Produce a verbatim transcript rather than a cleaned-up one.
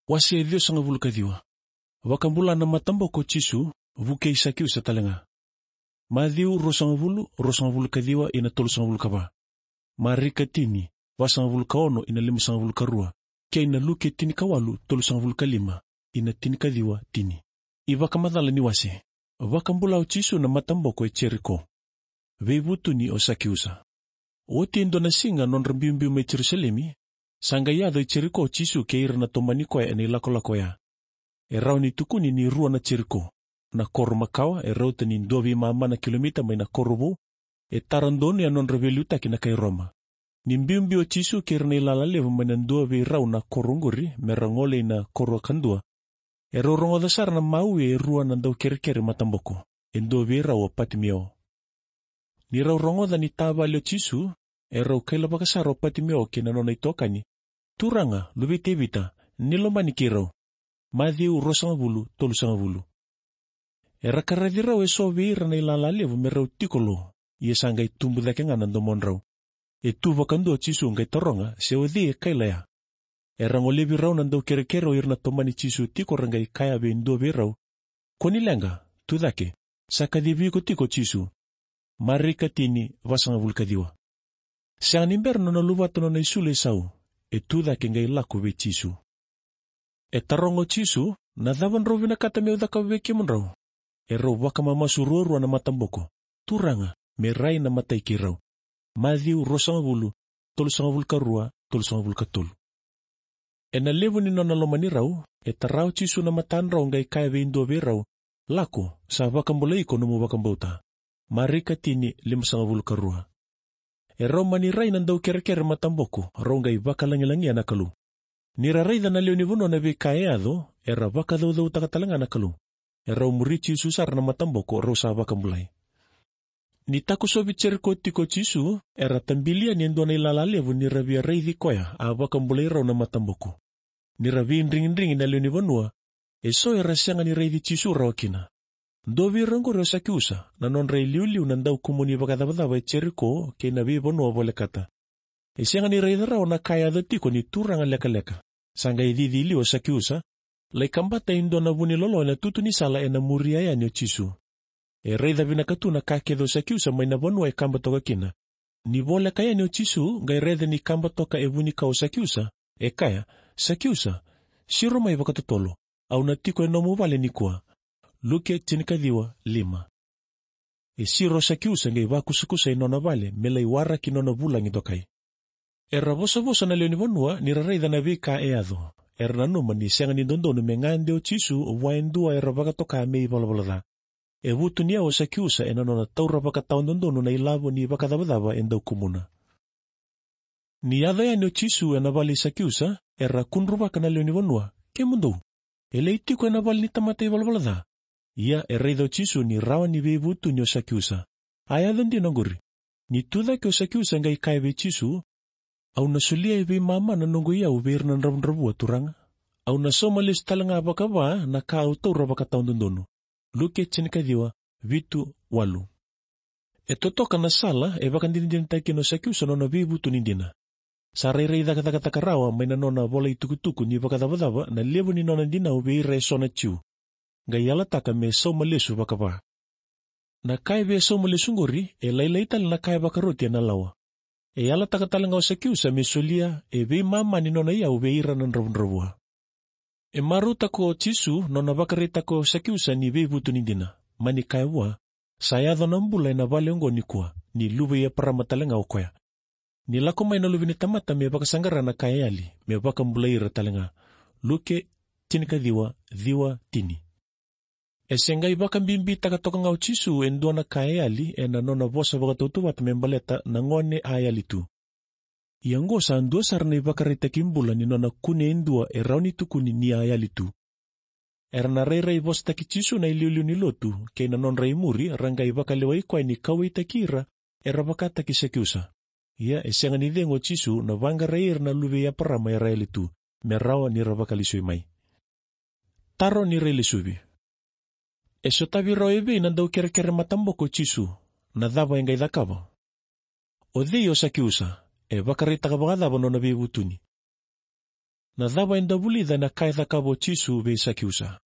Wase ciwasagavulu ka ciwa. Vakabula na mataboko o Jisu, vukei Sakiusa tale ga. Maciu ruasagavulu, ruasagavulu ka ciwa ina tolusagavulu ka va. Marika tini, vasagavulu ka ono ina limasagavulu ka rua, kei na Luke tinikawalu, tolusagavulu ka lima ina tinikaciwa tini. iVakamacala ni wase. Vakabula o Jisu na mataboko e Jeriko. Veivutuni o Sakiusa. Oti e dua na siga nodra biubiu mai Jerusalemi, sa qai yaco i Jeriko o Jisu kei ira na tomani koya ena ilakolako oya. E rawa ni tukuni ni rua na Jeriko. Na koro makawa e rauta ni dua veimama na kilomita mai na koro vou, e tara donu e nodra veiliutaki na kai Roma. Ni biubiu o Jisu kei ira na ilala levu mai na dua vei rau na koro oqori me ra gole ina koro kadua, e rau rogoca sara na maui e rua na daukerekere mataboko, e dua vei rau o Patimeo. Ni rau rogoca ni tavale o Jisu, e rau kailavaka sara o Patimeo kei na nona itokani, "Turaga, luve i Tevita, ni lomani keirau." Maciu ruasagavulu, tolusagavulu. Era karaci rau eso vei ira na ilala levu me rau tiko lo, ia sa qai tubu cake ga na domodrau. E tu vakadua o Jisu qai taroga se o cei e kaila ya. Era golevi rau na daukerekere o ira na tomani Jisu tiko ra qai kaya vei dua vei rau, "Kua ni leqa, tu cake, sa kacivi iko tiko o Jisu." Marika tini, vasagavulu ka ciwa. Sega ni bera nona luvata nona isulu e sau, e tu cake qai lako vei Jisu. E taroga o Jisu, "Na cava drau vinakata meu cakava vei kemudrau?" E rau vakamamasu ruarua na mataboko, "Turaga, me rai na matai keirau." Maciu ruasagavulu, tolusagavulu ka rua, tolusagavulu ka tolu. Ena levu ni nona lomani rau, e tara o Jisu na matadrau qai kaya vei dua vei rau, "Lako, sa vakabulai iko nomu vakabauta." Marika tini, limasagavulu ka rua. E rau mani rai na daukerekere mataboko, rau qai vakalagilagia na Kalou. Ni ra raica na lewe ni vanua na veika e yaco, era vakacaucautaka tale ga na Kalou. E rau muri Jisu sara na mataboko, rau sa vakabulai. Ni takosovi Jeriko tiko o Jisu, era tabili yani e dua na ilala levu ni ra via raici koya a vakabulai rau na mataboko. Ni ra veidrigidrigi na lewe ni vanua, eso era sega ni raici Jisu rawa kina. Dua vei ira oqori o Sakiusa, na nodra iliuliu na daukumuni vakacavacava e Jeriko kei na veivanua volekata. E sega ni raica rawa na ka e yaco tiko ni turaga lekaleka. Sa qai cici i liu o Sakiusa, lai kabata e dua na vunilolo ena tutu ni sala ena muria yani o Jisu. E raica vinaka tu na ka kece o Sakiusa mai na vanua e kaba toka kina. Ni voleka yani o Jisu, qai raica ni kaba toka e vunikau o Sakiusa, e kaya, "Sakiusa, siro mai vakatotolo, au na tiko e nomu vale nikua." Luke tinikaciwa, lima. E siro o Sakiusa qai vakusakusa e nona vale me lai waraki nona vulagi dokai. Era vosavosa na lewe ni vanua ni ra raica na veika e yaco. Era nanuma ni sega ni dodonu me gade o Jisu vua e dua era vakatoka me ivalavala ca. E vutuniyau o Sakiusa ena nona taura vakatawadodonu na ilavo ni vakacavacava e dau kumuna. Ni yaco yani o Jisu ena vale i Sakiusa, era kudruvaka na lewe ni vanua, "Kemudou, e lai tiko ena vale ni tamata ivalavala ca." Ia e raica o Jisu ni rawa ni veivutuni o Sakiusa. A yaco dina oqori. Ni tucake o Sakiusa qai kaya vei Jisu, "Au na solia e veimama na noqu iyau vei ira na dravudravua, Turaga. Au na sauma lesu tale ga vakava na ka au taura vakatawadodonu." Luke tinikaciwa, vitu, walu. E totoka na sala e vakadinadinataka kina o Sakiusa nona veivutuni dina. Sa rairai cakacakataka rawa mai na nona vola itukutuku ni vakacavacava na levu ni nona dinau vei ira eso na Jiu. Qai yalataka me sauma lesu vakava. Na ka e via sauma lesu qori, e lailai tale na ka e vakaroti ena lawa. E yalataka tale ga o Sakiusa me solia e veimama ni nona iyau vei ira na dravudravua. E marautaka o Jisu nona vakaraitaka o Sakiusa ni veivutuni dina. Mani kaya vua, sa yaco na bula ena vale oqo nikua, ni luve i Eparama tale ga o koya. Ni lako mai na Luve ni tamata me vakasaqara na ka e yali, me vakabulai ira tale ga. Luke tinikaciwa, ciwa, tini. E se qai vakabibitaka toka ga o Jisu e dua na ka e yali ena nona vosa vakatautauvata me baleta na gone a yali tu. Ia oqo sa dua sara na ivakaraitaki bula ni nona kune e dua e rawa ni tukuni ni a yali tu. Era na rairai vosataki Jisu na iliuliu ni lotu kei na nodra imuri, ra qai vakalewai koya ni kauwaitaki ira era vakataki Sakiusa. Ia e sega ni cegu o Jisu na vaqarai ira na luve i Eparama era yali tu, me rawa ni ra vakalesui mai. Taro ni railesuvi. E sotavi rau e vei na daukerekere mataboko o Jisu, na cava e qai cakava? O cei o Sakiusa, e vakaraitaka vakacava nona veivutuni? Na cava eda vulica na ka e cakava o Jisu vei Sakiusa?